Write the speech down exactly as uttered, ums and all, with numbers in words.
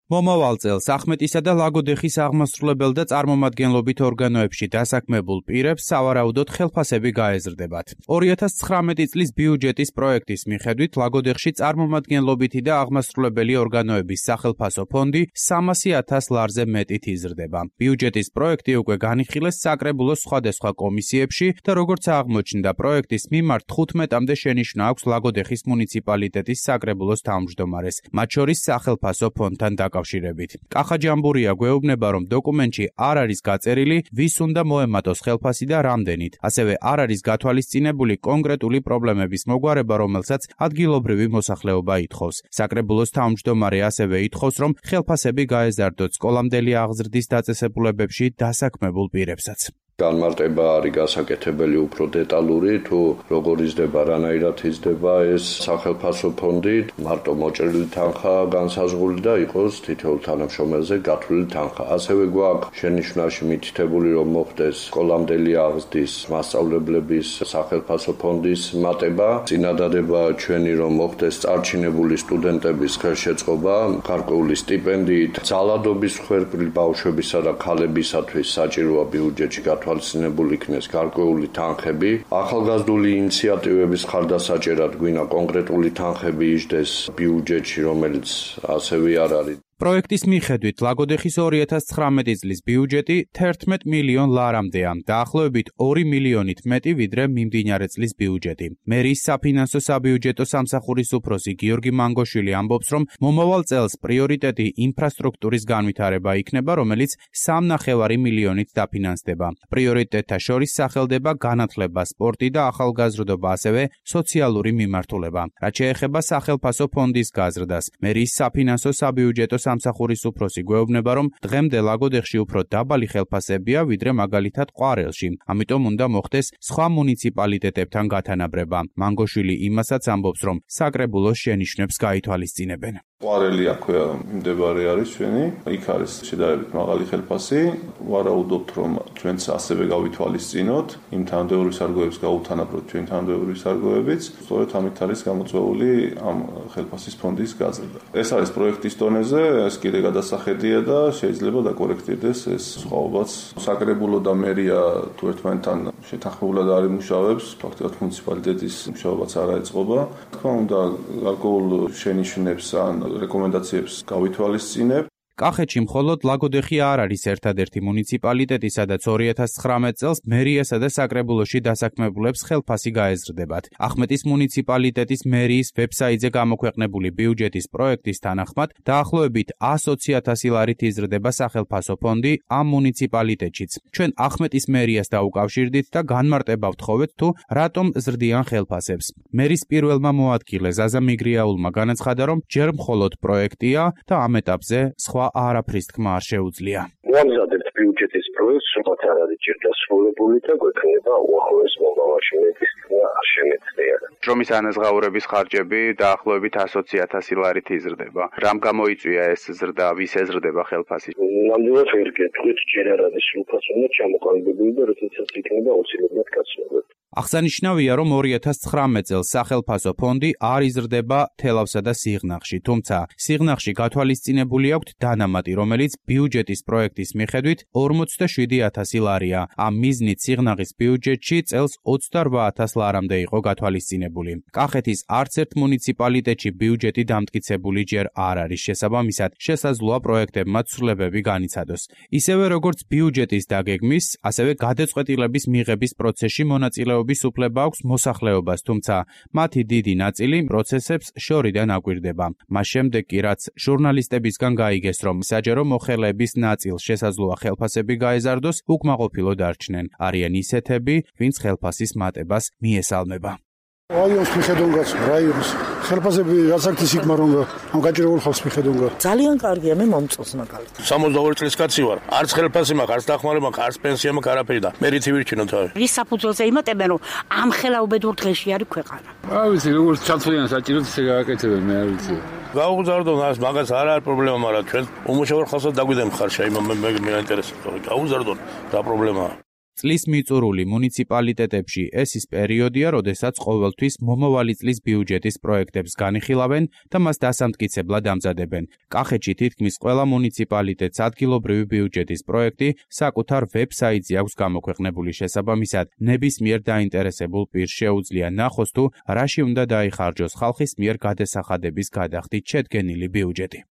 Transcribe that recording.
მომავალ წელს ახმეტისა და ლაგოდეხის აღმასრულებელ და წარმომადგენლობით ორგანოებში დასაქმებულ პირებს სავარაუდოდ ხელფასები გაეზრდებათ. ორი ათას ცხრამეტი წლის ბიუჯეტის პროექტის მიხედვით ლაგოდეხში წარმომადგენლობითი და აღმასრულებელი ორგანოების სახელფასო ფონდი სამასი ათას ლარზე მეტით იზრდება. ბიუჯეტის პროექტი უკვე განიხილეს საკრებულოს სხვადასხვა კომისიებში და როგორც აღმოჩნდა, პროექტის მიმართ თხუთმეტამდე შენიშვნა აქვს ლაგოდეხის მუნიციპალიტეტის საკრებულოს თავმჯდომარეს, მათ შორის სახელფასო ფონდთან დაკავშირებით. კახა ჯამბურია გვეუბნება, რომ დოკუმენტში არ არის გაწერილი, ვის უნდა მოემატოს ხელფასი და რამდენით. ასევე არ არის გათვალისწინებული კონკრეტული პრობლემების მოგვარება, რომელსაც ადგილობრივი მოსახლეობა ითხოვს. საკრებულოს თავმჯდომარე ასევე ითხოვს, რომ ხელფასები გაეზარდოთ სკოლამდელი აღზრდის დაწესებულებებში დასაქმებულ პირებსაც. განმარტება არის გასაკეთებელი უფრო დეტალური, თუ როგორ იზრდება, რანაირად იზრდება ეს სახელფასო ფონდი, მარტო მოჭრილი თანხა განსაზღვრული და იყოს თითოეულ თანამშრომელზე გათვლილი თანხა. ასევე გვაქვს შენიშვნაში მითითებული, რომ მოხდეს სკოლამდელი აღზრდის მასწავლებლების სახელფასო ფონდის მატება. წინადადება ჩვენი, რომ მოხდეს წარჩინებული სტუდენტების ხელშეწყობა გარკვეული სტიპენდიით, ძალადობის მსხვერპლი ბავშვებისა და ქალებისათვის საჭიროა ბიუჯეტში თვალისწინებული იქნეს გარკვეული თანხები. ახალგაზრდული ინიციატივების ხარდასაჭერად გვინდა კონკრეტული თანხები იჯდეს ბიუჯეტში, რომელიც ასევე არ არის. პროექტის მიხედვით ლაგოდეხის ორი ათას ცხრამეტი წლის ბიუჯეტი თერთმეტ მილიონ ლარამდეა, დაახლოებით ორი მილიონით მეტი ვიდრე მიმდინარე წლის ბიუჯეტი. მერის საფინანსო საბიუჯეტო სამსახურის უფროსი გიორგი მანგოშვილი ამბობს, რომ მომავალ წელს პრიორიტეტი ინფრასტრუქტურის განვითარება იქნება, რომელიც სამნახევარი მილიონით დაფინანსდება. პრიორიტეტთა შორის სახელდება განათლება, სპორტი და ახალგაზრდობა, ასევე სოციალური მიმართულება. რაც შეეხება სახელფასო ფონდის გაზრდას, მერის საფინანსო საბიუჯეტო სამსახურის უფროსი გვეუბნება, რომ დღემდე ლაგოდეხში უფრო დაბალი ხელფასებია, ვიდრე მაგალითად ყვარელში. ამიტომ უნდა მოხდეს სხვა მუნიციპალიტეტებთან გათანაბრება. მანგოშვილი იმასაც ამბობს, რომ საკრებულოს შენიშვნებს გაითვალისწინებენ. ყვარელი აქვეა მიმდებარე არის ჩვენი, იქ არის შედარებით მაღალი ხელფასი. ვარაუდობთ, რომ ჩვენც ასევე გავითვალისწინოთ, იმ თანამდებობრივ სარგოებს გაუთანაბროთ ჩვენ თანამდებობრივ სარგოებიც. სწორედ ამით არის გამოწვეული ამ ხელფასის ფონდის გაზრდა. ეს არის პროექტის დონეზე, ეს კიდე გადასახედია და შეიძლება დაკორექტირდეს ეს სხვაობაც. საკრებულო და მერია თუ ერთმანეთთან შეთანხმებულად არ იმუშავებს, ფაქტობრივად მუნიციპალიტეტის მუშაობაც არ აეწყობა. თქმა უნდა, გარკვეულ შენიშვნებს ან რეკომენდაციებს გავითვალისწინებ. კახეთში მხოლოდ ლაგოდეხი არ არის ერთადერთი მუნიციპალიტეტი, სადაც ორი ათას ცხრამეტ წელს მერიასა და საკრებულოში დასაქმებულებს ხელფასი გაეზრდებათ. ახმეტის მუნიციპალიტეტის მერიის ვებსაიტზე გამოქვეყნებული ბიუჯეტის პროექტის თანახმად, დაახლოებით ოცი ათასი ლარით იზრდება სახელფასო ფონდი ამ მუნიციპალიტეტშიც. ჩვენ ახმეტის მერიას დაუკავშირდით და განმარტება ვთხოვეთ, თუ რატომ ზრდიან ხელფასებს. მერის პირველმა მოადგილე ზაზა მიგრიაულმა განაცხადა, რომ ჯერ მხოლოდ პროექტია და ამ ეტაპზე სხვა არაფრის თქმა არ შეუძლია. ვამზადებთ ბიუჯეტის პროექტს, რომელიც არ არის ჯერ დასრულებული და გვექნება უახლოეს მომავალში მეტის თქმა არ შემეცდია. შრომის ანაზღაურების ხარჯები დაახლოებით ოცი ათასი ლარით იზრდება. რამ გამოიწვია ეს ზრდა, ვის ეზრდება ხელფასი? ნამდვილად ვერ გეტყვით, ჯერ არ არის უფასო უნდა ჩამოყალიბებული და როდესაც იქნება აუცილებლად გაცნობა. აღსანიშნავია, რომ ორი ათას ცხრამეტ წელს სახელფასო ფონდი არ იზრდება თელავსა და სიღნაღში, თუმცა სიღნაღში გათვალისწინებული აქვთ დანამატი, რომელიც ბიუჯეტის პროექტის მიხედვით ორმოცდაშვიდი ათასი ლარია. ამ მიზნით სიღნაღის ბიუჯეტში წელს ოცდარვა ათას ლარამდე იყო გათვალისწინებული. კახეთის არც ერთ მუნიციპალიტეტში ბიუჯეტი დამტკიცებული ჯერ არ არის, შესაბამისად შესაძლოა პროექტებმა ცვლილებები განიცადოს. ისევე როგორც ბიუჯეტის დაგეგმის, ასევე გადაწყვეტილების მიღების პროცესში მონაწილეობის უფლება აქვს მოსახლეობას, თუმცა მათი დიდი ნაწილი პროცესებს შორიდან აკვირდება. მას შემდეგ კი რაც ჟურნალისტებისგან გაიგეს, რომ საჯარო მოხელეების ნაწილს შესაძლოა ხელფასები გაეზარდოს, უკმაყოფილო დარჩნენ. არიან ისეთები, ვინც ხელფასის მატებას მიესალმება. რაიონს მიხედონგაც, რაიონს ხელფასები რასაკეთის იქ მარონგა, ამ გაჭირებულ ხალხს მიხედონგა. ძალიან კარგია, მე მომწონს მაგალითად. სამოცდაორი წლის კაცი ვარ. არც ხელფასი მაქვს, არც დახმარება მაქვს, არც პენსია მაქვს, არაფერი და მე რითი ვირჩინო თავი. რის საფუძველზე იმატებენ, რომ ამ ხელაუბედურ დღეში არის ქვეყანა. არ ვიცი, როგორც ჩაცვლიან საჭიროდ ისე გააკეთებენ, მე არ ვიცი. გაუგზავნოთ მას, მაგას არ არის პრობლემა, მაგრამ ჩვენ უმუშავრ ხალხსაც დაგვიდემ ხარშა, იმ მე მე მე ინტერესებს. გაუგზავნოთ, რა პრობლემაა? წლის მიწურული მუნიციპალიტეტებში ეს ის პერიოდია, როდესაც ყოველთვის მომავალი წლის ბიუჯეტის პროექტებს განიხილავენ და მას დასამტკიცებლად ამზადებენ. კახეთში თითქმის ყველა მუნიციპალიტეტს ადგილობრივი ბიუჯეტის პროექტი საკუთარ ვებსაიტზე აქვს გამოქვეყნებული. შესაბამისად, ნებისმიერ დაინტერესებულ პირს შეუძლია ნახოს თუ რაში უნდა დაიხარჯოს ხალხის მიერ გადასახადების გადახდით შედგენილი ბიუჯეტი.